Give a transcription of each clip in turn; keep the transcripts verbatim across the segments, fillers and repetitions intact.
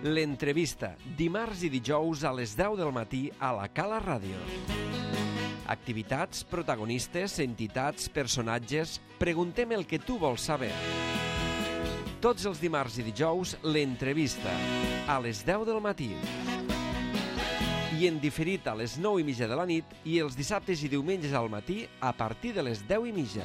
L'entrevista, dimarts i dijous a les deu del matí a la Cala Ràdio. Activitats, protagonistes, entitats, personatges... Preguntem el que tu vols saber. Tots els dimarts i dijous, l'entrevista, a les deu del matí. I en diferit a les nou i mitja de la nit i els dissabtes i diumenges al matí a partir de les deu i mitja.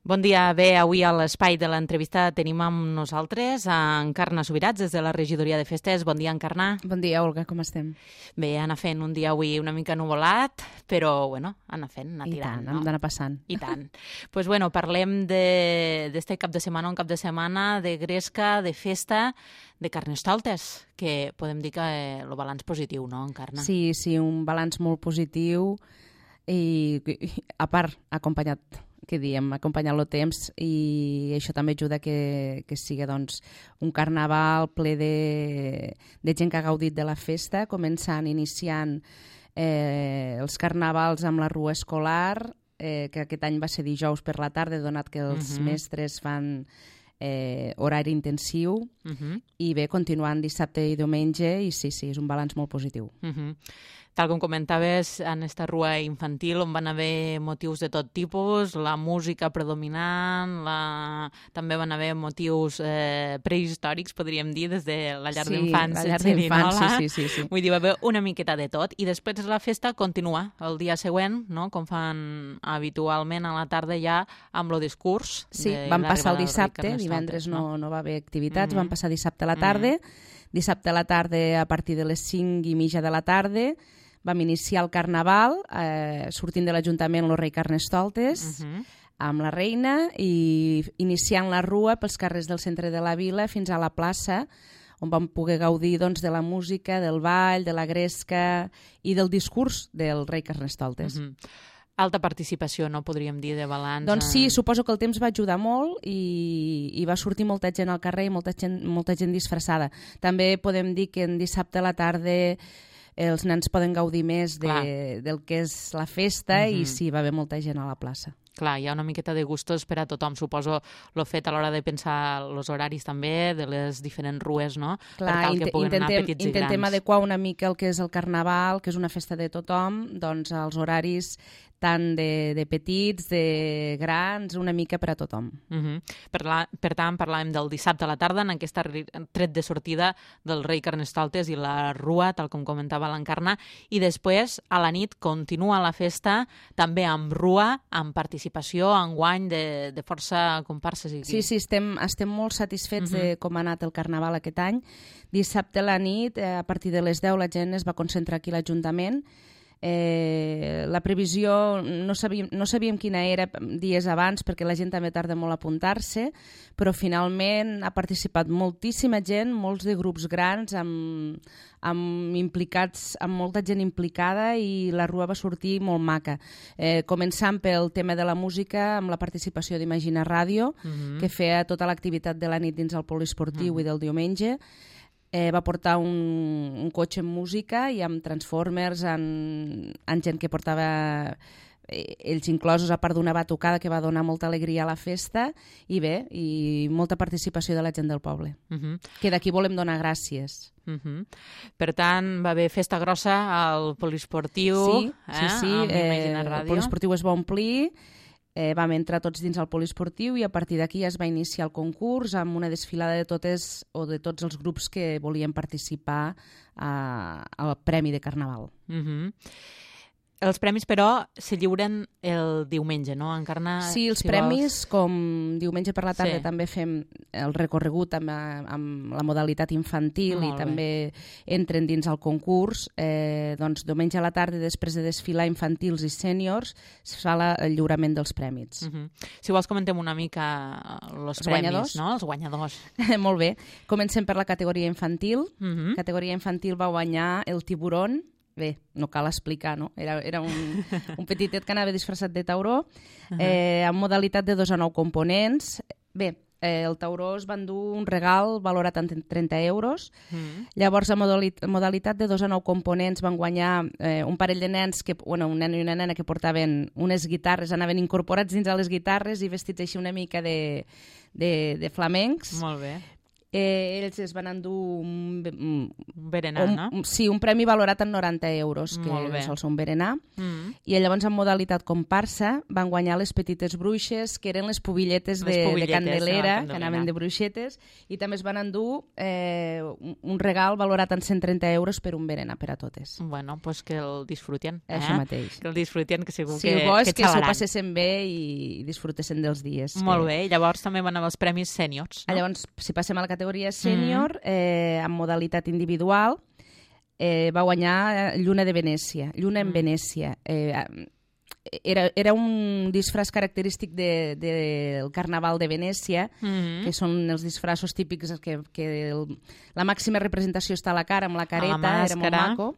Bon dia. Bé, avui a l'espai de l'entrevista tenim amb nosaltres a Encarna Subirats, des de la regidoria de festes. Bon dia, Encarna. Bon dia, Olga, com estem? Bé, anar fent un dia avui una mica nuvolat, però, bueno, anar fent, anar I tirant, tant, no? hem d'anar passant. I tant. Doncs, pues, bueno, parlem d'este cap de setmana, un cap de setmana de gresca, de festa, de Carnestoltes, que podem dir que el balanç positiu, no, Encarna? Sí, sí, un balanç molt positiu i, i a part, acompanyat que diem, acompanyar el temps, i això també ajuda que, que sigui doncs, un carnaval ple de, de gent que ha gaudit de la festa, començant, iniciant eh, els carnavals amb la rua escolar, eh, que aquest any va ser dijous per la tarda, donat que els uh-huh. mestres fan eh, horari intensiu, uh-huh. i bé, continuant dissabte i diumenge, i sí, sí, és un balanç molt positiu. Uh-huh. Tal com comentaves, en esta rua infantil on van haver motius de tot tipus, la música predominant, la... també van haver motius eh, prehistòrics, podríem dir, des de la llar sí, d'infants. la llar d'infants, sí, sí, sí, sí. Vull dir, va haver una miqueta de tot. I després la festa continua el dia següent, no? Com fan habitualment a la tarda ja amb el discurs. Sí, de van passar el dissabte, divendres no, no va haver activitats, mm-hmm. van passar dissabte a la tarda, mm-hmm. dissabte a la tarda a partir de les cinc i mitja de la tarda, vam iniciar el carnaval, eh, sortint de l'Ajuntament el rei Carnestoltes, uh-huh. amb la reina, i iniciant la rua pels carrers del centre de la vila fins a la plaça, on vam poder gaudir doncs, de la música, del ball, de la gresca i del discurs del rei Carnestoltes. Uh-huh. Alta participació, no podríem dir, de balanç? Doncs sí, suposo que el temps va ajudar molt i, i va sortir molta gent al carrer i molta gent, molta gent disfressada. També podem dir que en dissabte a la tarda els nens poden gaudir més de, del que és la festa, uh-huh. i sí, va haver molta gent a la plaça. Clar, hi ha una miqueta de gustos per a tothom. Suposo l'ho fet a l'hora de pensar els horaris també, de les diferents rues, no? Clar, per tal que puguen intentem, anar petits i grans. Intentem adequar una mica el que és el carnaval, que és una festa de tothom, doncs els horaris tant de, de petits, de grans, una mica per a tothom. Uh-huh. per, la, per tant, parlàvem del dissabte a la tarda, en aquesta tret de sortida del rei Carnestoltes i la rua, tal com comentava l'Encarna, i després, a la nit, continua la festa, també amb rua, amb participació, enguany de, de força comparses. I... Sí, sí, estem, estem molt satisfets uh-huh. de com ha anat el carnaval aquest any. Dissabte a la nit, a partir de les deu, la gent es va concentrar aquí a l'Ajuntament. Eh, la previsió no sabíem, no sabíem quina era dies abans perquè la gent també tarda molt a apuntar-se, però finalment ha participat moltíssima gent, molts de grups grans amb, amb implicats, amb molta gent implicada, i la rua va sortir molt maca, eh, començant pel tema de la música amb la participació d'Imagina Ràdio, uh-huh. que feia tota l'activitat de la nit dins el poliesportiu uh-huh. i del diumenge. Eh, va portar un, un cotxe amb música i amb Transformers, amb, amb gent que portava eh, ells inclosos, a part d'una batucada que va donar molta alegria a la festa, i bé, i molta participació de la gent del poble, uh-huh. que d'aquí volem donar gràcies. Uh-huh. Per tant, va haver festa grossa al poliesportiu, sí, eh? sí, sí. amb Imagina Ràdio. El poliesportiu es va omplir, Eh, vam entrar tots dins el poliesportiu i a partir d'aquí ja es va iniciar el concurs amb una desfilada de totes o de tots els grups que volien participar a, al Premi de Carnaval. Uh-huh. Els premis, però, se lliuren el diumenge, no, Encarna? Sí, els si premis, vols... com diumenge per la tarda sí. també fem el recorregut amb, amb la modalitat infantil. Molt i bé. També entren dins el concurs. Eh, doncs diumenge a la tarda, després de desfilar infantils i sèniors, es fa la, el lliurament dels premis. Uh-huh. Si vols comentem una mica els, els premis, guanyadors. No? Els guanyadors. Molt bé. Comencem per la categoria infantil. Uh-huh. Categoria infantil va guanyar el Tiburón. Bé, no cal explicar, no? Era, era un, un petitet que anava disfressat de tauró, uh-huh. eh, amb modalitat de dos a nou components. Bé, eh, el tauró es va endur un regal valorat en trenta euros. Mm. Llavors, a modali- modalitat de dos a nou components van guanyar eh, un parell de nens, que, bueno, un nen i una nena que portaven unes guitarres, anaven incorporats dins a les guitarres i vestits així una mica de, de, de flamencs. Molt bé. Eh, ells es van endur un, un, Un berenar, un, no? un, sí, un premi valorat en noranta euros, que Molt bé. sol ser un berenar. Mm. I llavors, en modalitat comparsa, van guanyar les petites bruixes, que eren les pubilletes, Les de, pubilletes de Candelera, de la que Candelera. anaven de bruixetes, i també es van endur eh, un, un regal valorat en cent trenta euros per un berenar per a totes. Bueno, pues que el disfruten. Eh? Això mateix. Que el disfruten, que segur Sí, que, el bo és que que s'ho xalaran. passessin bé i disfrutessin dels dies. Molt que... bé, i llavors també van haver els premis sèniors, no? Llavors, si passem a la categoria sènior, eh, en modalitat individual, eh, va guanyar Lluna de Venècia. Lluna en Mm. Venècia. Eh, era, era un disfraç característic de, de, del Carnaval de Venècia, Mm. que són els disfraços típics que, que el, la màxima representació està a la cara, amb la careta, era molt màscara. maco,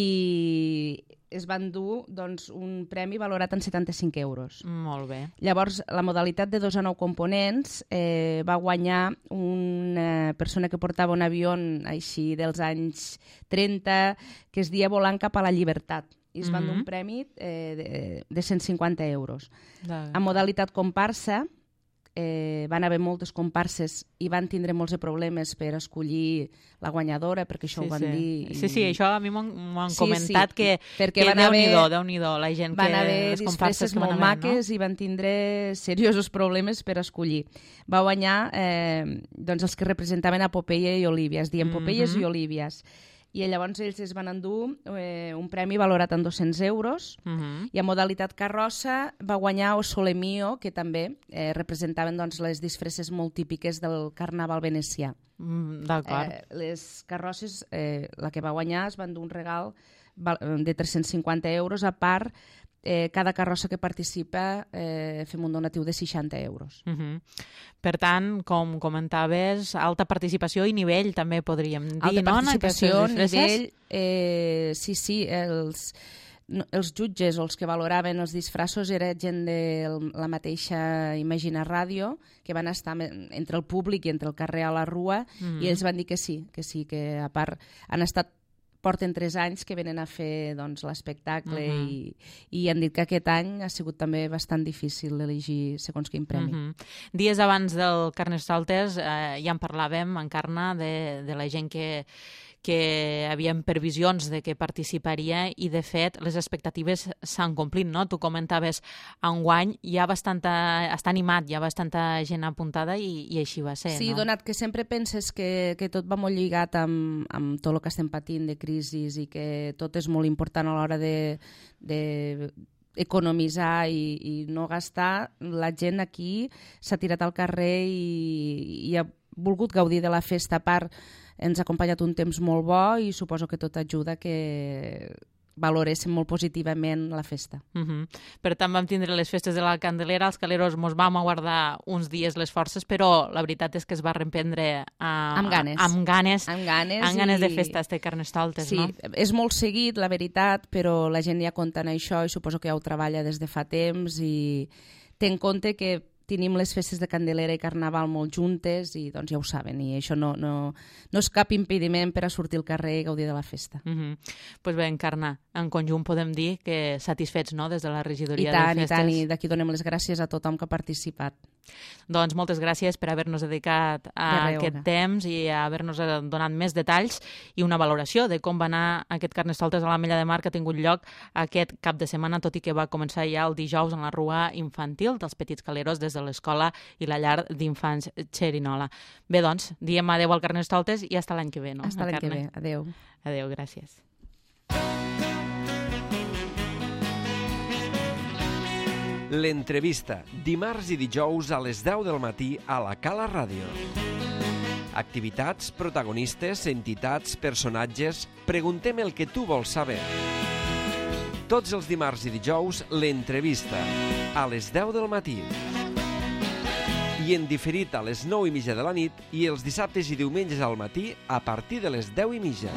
i es van dur doncs, un premi valorat en setanta-cinc euros. Molt bé. Llavors, la modalitat de dos a nou components eh, va guanyar una persona que portava un avió així dels anys trenta, que es deia Volant cap a la llibertat. I es van dur Mhm. un premi eh, de, de cent cinquanta euros. De... En modalitat comparsa, eh, van haver moltes comparses i van tindre molts de problemes per escollir la guanyadora, perquè això sí, ho van sí. dir. I... Sí, sí, això a mi m'ho han, m'ho han Sí, comentat, sí, que, perquè que van haver- Déu-n'hi-do, Déu-n'hi-do, la gent Van que... haver les comparses disfresses que van molt haver, maques i van tindre seriosos problemes per escollir. Va guanyar eh, doncs els que representaven a Popeye i Olívies, diem Popeyes Mhm. i Olívies. I llavors ells es van endur eh, un premi valorat en dos-cents euros, no? Uh-huh. i en modalitat carrossa va guanyar O Sole Mio, que també eh, representaven doncs, les disfresses molt típiques del carnaval venecià. Mm, D'acord. Eh, les carrosses, eh, la que va guanyar, es van dur un regal val- de tres-cents cinquanta euros, a part, eh, cada carrossa que participa eh, fem un donatiu de seixanta euros. Uh -huh. Per tant, com comentaves, alta participació i nivell, també podríem dir, Alta no? en participació, aquestes disfresses? nivell, eh, sí, sí, els, no, els jutges o els que valoraven els disfressos era gent de la mateixa Imagina Ràdio, que van estar me- entre el públic i entre el carrer a la rua, Mhm. i ells van dir que sí, que sí, que a part han estat porten tres anys que venen a fer doncs, l'espectacle Mhm. i, i han dit que aquest any ha sigut també bastant difícil d'elegir segons quin premi. Uh -huh. Dies abans del Carnestoltes eh, ja en parlàvem, Encarna, de, de la gent que, que havien previsions de que participaria i, de fet, les expectatives s'han complit, no? Tu comentaves, enguany hi ha bastanta... està animat, hi ha bastanta gent apuntada i, i així va ser, Sí, no? donat que sempre penses que, que tot va molt lligat amb, amb tot el que estem patint de crisis i que tot és molt important a l'hora de, de economitzar i, i no gastar, la gent aquí s'ha tirat al carrer i, i ha volgut gaudir de la festa. A part, ens ha acompanyat un temps molt bo i suposo que tot ajuda que valoréssim molt positivament la festa. Uh -huh. Per tant, vam tindre les festes de la Candelera, els caleros mos vam aguardar uns dies les forces, però la veritat és que es va reprendre a, Amb ganes. A, amb ganes, Amb ganes, amb ganes i... de festes de Carnestoltes, Sí, no? és molt seguit, la veritat, però la gent ja compta en això i suposo que ja ho treballa des de fa temps i té en compte que tenim les festes de Candelera i Carnaval molt juntes i doncs ja ho saben, i això no, no, no és cap impediment per a sortir al carrer i gaudir de la festa. Uh -huh. Pues bé, Encarna, en conjunt podem dir que satisfets, no?, des de la I regidoria tant, de i festes. tant, i d'aquí donem les gràcies a tothom que ha participat. Doncs moltes gràcies per haver-nos dedicat a De res, aquest Olga. temps i a haver-nos donat més detalls i una valoració de com va anar aquest Carnestoltes a l'Ametlla de Mar que ha tingut lloc aquest cap de setmana, tot i que va començar ja el dijous en la rua infantil dels Petits Caleros des de l'escola i la llar d'infants Xerinola. Bé, doncs, diem adeu al Carnestoltes i fins l'any que ve, no? Fins l'any que Encarna? ve. Adéu. Adéu, gràcies. L'entrevista, dimarts i dijous a les deu del matí a la Cala Ràdio. Activitats, protagonistes, entitats, personatges... Preguntem el que tu vols saber. Tots els dimarts i dijous, l'entrevista, a les deu del matí. I en diferit a les nou i mitja de la nit i els dissabtes i diumenges al matí a partir de les deu i mitja.